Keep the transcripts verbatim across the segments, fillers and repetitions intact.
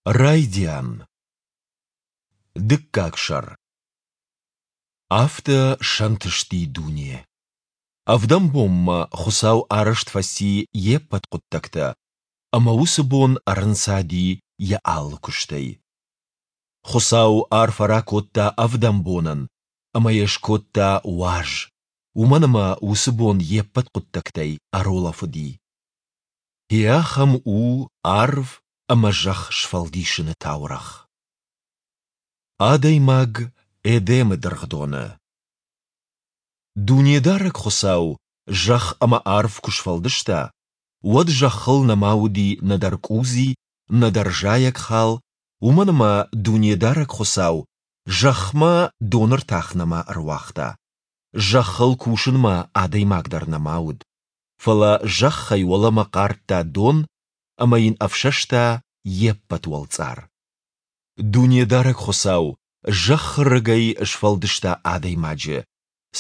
Райдиан. Дыккаг сӕр. Афтӕ сӕнтысти дуне. Ӕвдӕм бонмӕ Хуыцау арӕзт фӕци Йе ппӕт хъуыддӕгтӕ, ӕмӕ уыцы бон ӕрынцади Йӕ алы куыстӕй. Хуыцау арфӕ ракодта ӕвдӕм бонӕн ӕмӕ йӕ скодта уаз, уымӕн ӕмӕ уыцы бон Йе ппӕт хъуыддӕгтӕй ӕрулӕфыди. Гъе ахӕм у арв ӕмӕ зӕхх сфӕлдисыны таурӕгъ. Адӕймаг Эдемы дыргъдоны. Дунедарӕг Хуыцау зӕхх ӕмӕ арв куы сфӕлдыста, уӕд зӕххыл нӕма уыди нӕдӕр къудзи, нӕдӕр зайӕгхал, уымӕн ӕмӕ Дунедарӕг Хуыцау зӕхмӕ доны ртах нӕма ӕруагъта. Зӕххыл кусынмӕ адӕймаг дӕр нӕма уыд. Фӕлӕ зӕххӕй уӕлӕмӕ хъардта дон ӕмӕ йын ӕфсӕста йе ппӕт уӕлцъар. Дунедарӕг Хуыцау зӕххы рыгӕй сфӕлдыста адӕймаджы,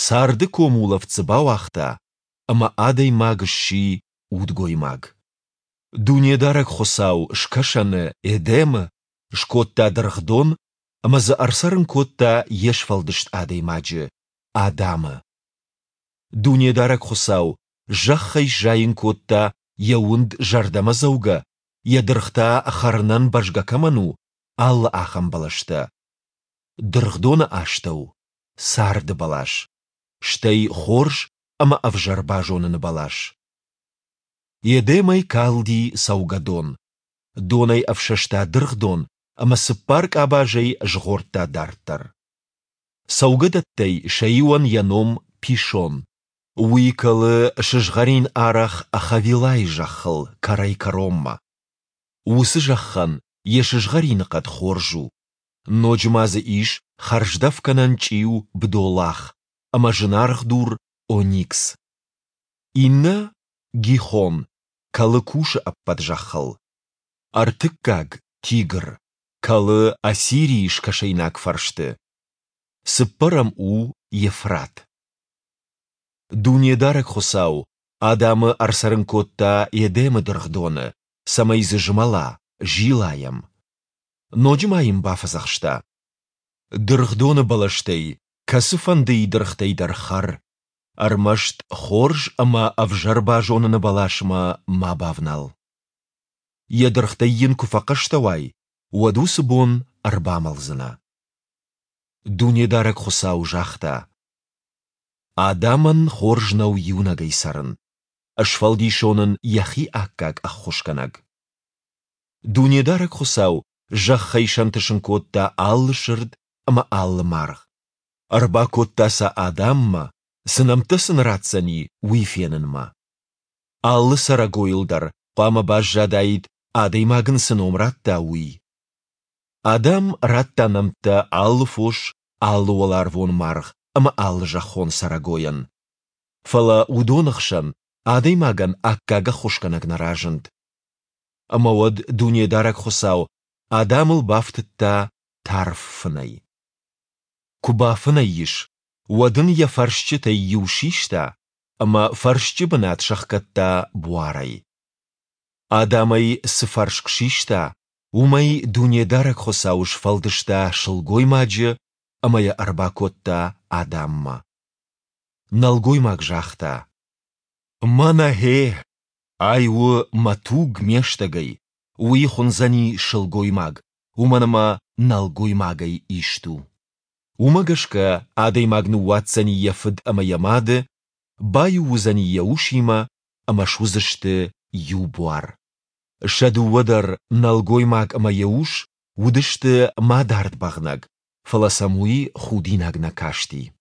царды комулӕфт дзы бауагъта, ӕмӕ адӕймаг сси удгоймаг. Дунедарӕг Хуыцау скӕсӕны, Эдемы, скодта дыргъдон ӕмӕ дзы ӕрцӕрын кодта йе сфӕлдыст адӕймаджы, Адамы. Дунедарӕг Хуыцау зӕххӕй сзайын кодта йӕ уынд зӕрдӕмӕдзӕугӕ, йӕ дыргъ та хӕрынӕн бӕзгӕ кӕмӕн у, алы ахӕм бӕлӕстӕ. Дыргъдоны астӕу — царды бӕлас, стӕй хорз ӕмӕ ӕвзӕр базоныны бӕлас. Едемӕй калди цӕугӕдон. Донӕй ӕфсӕста дыргъдон ӕмӕ цыппар къабазӕй згъордта дарддӕр. Цӕугӕдӕттӕй сӕ иуӕн йӕ ном Пишон. Уый кӕлы сызгъӕрин арӕх Хавилайы зӕххыл кӕрӕй-кӕронмӕ. Уыцы зӕххӕн йӕ сызгъӕрины хъӕд хорз у. Ноджы ма дзы ис хӕрздӕфгӕнӕн чъиу бдолах ӕмӕ зынаргъ дур оникс. Иннӕ, Гихон, кӕлы Кушы ӕппӕт зӕххыл. Ӕртыккаг, Тигр, кӕлы Ассирийы скӕсӕйнаг фӕрсты. Цыппӕрӕм у Евфрат. Дунедарӕг Хуыцау Адамы ӕрцӕрын кодта Едемы дыргъдоны, цӕмӕй дзы змӕла, зила йӕм. Ноджы ма йын бафӕдзӕхста: Дыргъдоны бӕлӕстӕй кӕцыфӕндыйы дыргътӕй дӕр хӕр, ӕрмӕст хорз ӕмӕ ӕвзӕр базоныны бӕласмӕ ма бавнал. Йӕ дыргътӕй йын куы фӕхъӕстӕ уай, уӕд уыцы бон ӕрбамӕлдзынӕ. Дунедарӕг Хуыцау загъта: Адамӕн хорз нӕу иунӕгӕй цӕрын. Сфӕлдисон ын йӕхи аккаг ӕххуысгӕнӕг. Дунедарӕг Хуыцау зӕххӕй сӕнтысын кодта алы сырд ӕмӕ алы маргъ. Ӕрбакодта сӕ Адаммӕ, цы нӕмттӕ сын ратдзӕни, уый фенынмӕ. Алы цӕрӕгойыл дӕр хъуамӕ баззадаид, адӕймаг ын цы ном радта, уый. Адам радта нӕмттӕ алы фос, алы уӕларвон маргъ ӕмӕ алы зӕххон цӕрӕгойӕн. Фӕлӕ уыдоны хсӕн адӕймагӕн аккаг ӕххуысгӕнӕг нӕ разынд. Ӕмӕ уӕд Дунедарӕг Хуыцау Адамыл бафтыдта тарф фынӕй. Куы бафынӕй ис, уӕд ын йӕ фӕрсчытӕй иу систа ӕмӕ фӕрсчы бынат сӕхгӕдта буарӕй. Адамӕй цы фӕрск систа, уымӕй Дунедарӕг Хуыцау сфӕлдыста сылгоймаджы ӕмӕ йӕ ӕрбакодта Адаммӕ. Нӕлгоймаг загъта: Мӕнӕ гъе, ай у мӕ туг ме стӕгӕй, уый хуындзӕни сылгоймаг, уымӕн ӕмӕ нӕлгоймагӕй ист у. Уымӕ гӕсгӕ адӕймаг ныууадздзӕни йӕ фыд ӕмӕ йӕ мады, баиу уыдзӕни йӕ усимӕ ӕмӕ суыдзысты иу буар. Сӕ дыууӕ дӕр, нӕлгоймаг ӕмӕ йӕ ус, уыдысты мадард бӕгънӕг, фӕлӕ сӕм уый худинаг нӕ касти.